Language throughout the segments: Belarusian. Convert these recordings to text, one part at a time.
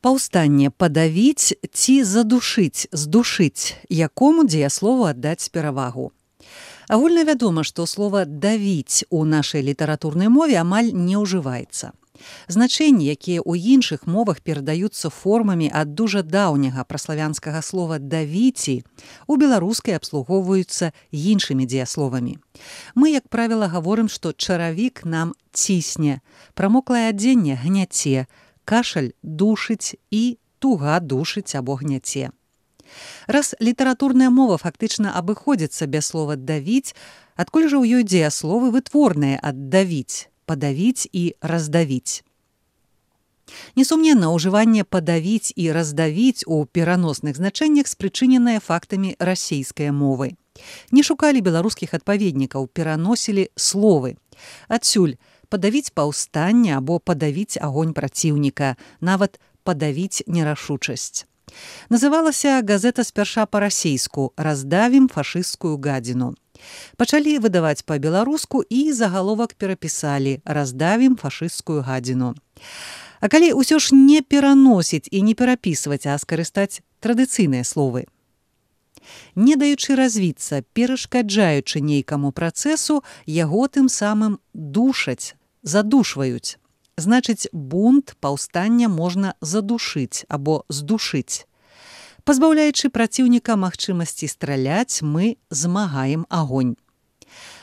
Паўстанне падавіць ці задушыць, здушыць, якому дзеяслову аддаць перавагу. Агульна вядома, што слова «давіць» у нашай літаратурнай мове амаль не ўжываецца. Значэнні, якія ў іншых мовах перадаюцца формамі ад дужа даўняга праславянскага слова «давіці», у беларускай абслугоўваюцца іншымі дзеясловамі. Мы, як правіла, гаворым, што чаравік нам цісне, прамоклае адзенне гняце, кашаль душыць і туга душыць або гняце. Раз літаратурная мова фактычна абыходзіцца без слова «давіць», адкуль жа ў ёй дзеясловы вытворныя ад «давіць», «падавіць» і «раздавіць». Несумненна, ўжыванне «падавіць» і «раздавіць» у пераносных значэннях спрычыненае фактамі расейскай мовы. Не шукалі беларускіх адпаведнікаў, пераносілі словы. Адсюль падавіць паўстанне або падавіць агонь праціўніка, нават падавіць нерашучасць. Называлася газета спярша па-расейску «Раздавім фашысцкую гадзіну». Пачалі выдаваць па-беларуску і загаловак перапісалі «Раздавім фашысцкую гадзіну». А калі ўсё ж не пераносіць і не перапісваць, а скарыстаць традыцыйныя словы? Не даючы развіцца, перашкаджаючы нейкаму працэсу, яго тым самым душаць, задушваюць. Значыць, бунт, паўстання можна задушыць або здушыць. Пазбаўляючы праціўніка магчымасці страляць, мы змагаем агонь.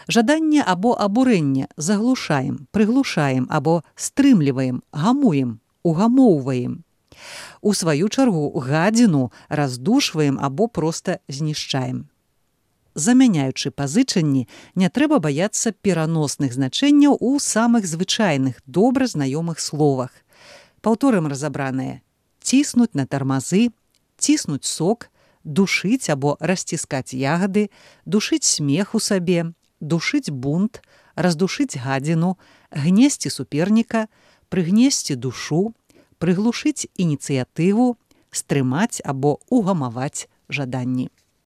Жаданне або абурэнне заглушаем, прыглушаем або стрымліваем, гамуем, угамоўваем. У сваю чаргу гадзіну раздушваем або проста знішчаем. Замяняючы пазычанні, не трэба баяцца пераносных значэнняў у самых звычайных, добра знаёмых словах. Паўторым разабраныя: ціснуць на тармазы, ціснуць сок, душыць або расціскаць ягады, душыць смех у сабе, душыць бунт, раздушыць гадзіну, гнесці суперніка, прыгнесці душу, прыглушыць ініцыятыву, стрымаць або угамаваць жаданні.